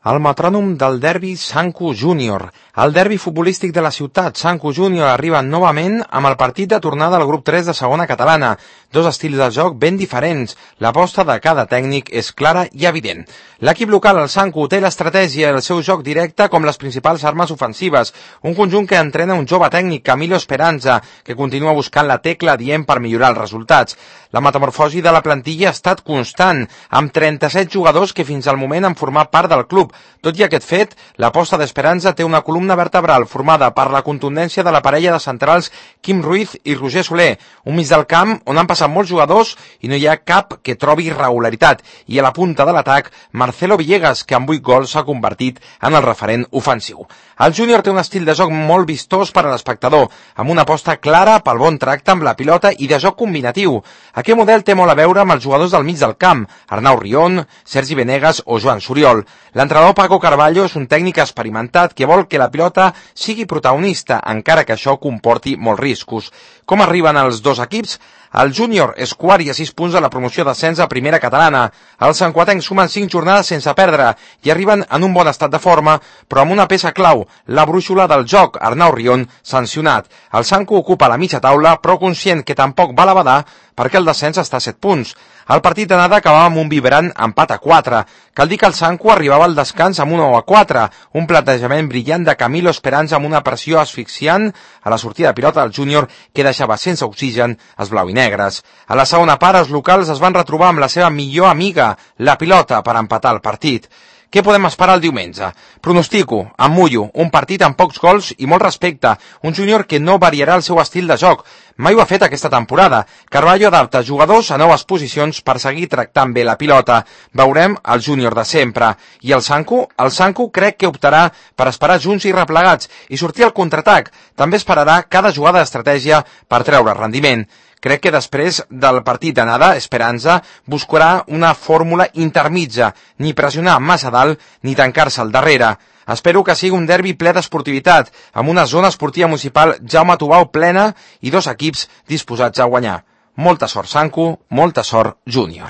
El metrònom del derbi Sanku Júnior. El derbi futbolístic de la ciutat, Sanku Júnior, arriba novament amb el partit de tornada al grup 3 de segona catalana. Dos estils de joc ben diferents. L'aposta de cada tècnic és clara i evident. L'equip local, el Sanku, té l'estratègia i el seu joc directe com les principals armes ofensives. Un conjunt que entrena un jove tècnic, Camilo Esperanza, que continua buscant la tecla adient per millorar els resultats. La metamorfosi de la plantilla ha estat constant, amb 37 jugadors que fins al moment han format part del club. Tot i aquest fet, l'aposta d'Esperanza té una columna vertebral formada per la contundència de la parella de centrals Quim Ruiz i Roger Soler, un mig del camp on han passat molts jugadors i no hi ha cap que trobi irregularitat, i a la punta de l'atac, Marcelo Villegas, que amb 8 gols s'ha convertit en el referent ofensiu. El júnior té un estil de joc molt vistós per a l'espectador, amb una aposta clara pel bon tracte amb la pilota i de joc combinatiu. Aquest model té molt a veure amb els jugadors del mig del camp, Arnau Rion, Sergi Venegas o Joan Soriol. L'entrenador Paco Carballo és un tècnic experimentat que vol que la pilota sigui protagonista, encara que això comporti molts riscos. Com arriben els dos equips? El júnior és quart i a 6 punts de la promoció d'ascens a primera catalana. Els sancuatencs sumen 5 jornades sense perdre i arriben en un bon estat de forma, però amb una peça clau, la brúixola del joc, Arnau Rion, sancionat. El Sanku ocupa la mitja taula, però conscient que tampoc va a la badar perquè el descens està a 7 punts. El partit d'anada acabava amb un vibrant empat a 4. Cal dir que el Sanku arribava al descans amb un 1-4, un plantejament brillant de Camilo Esperanza amb una pressió asfixiant a la sortida de pilota del júnior que deixava sense oxigen els blau i negres. A la segona part, els locals es van retrobar amb la seva millor amiga, la pilota, per empatar el partit. Què podem esperar el diumenge? Pronostico, em mullo, un partit amb pocs gols i molt respecte, un júnior que no variarà el seu estil de joc. Mai ho ha fet aquesta temporada. Carballo adapta jugadors a noves posicions per seguir tractant bé la pilota. Veurem el júnior de sempre. I el Sanku? El Sanku crec que optarà per esperar junts i replegats i sortir al contraatac. També esperarà cada jugada d'estratègia per treure rendiment. Crec que després del partit d'anada, Esperanza buscarà una fórmula intermitja, ni pressionar massa dalt ni tancar-se al darrere. Espero que sigui un derbi ple d'esportivitat, amb una zona esportiva municipal Jaume Tubau plena i dos equips disposats a guanyar. Molta sort, Sanku, molta sort, Júnior.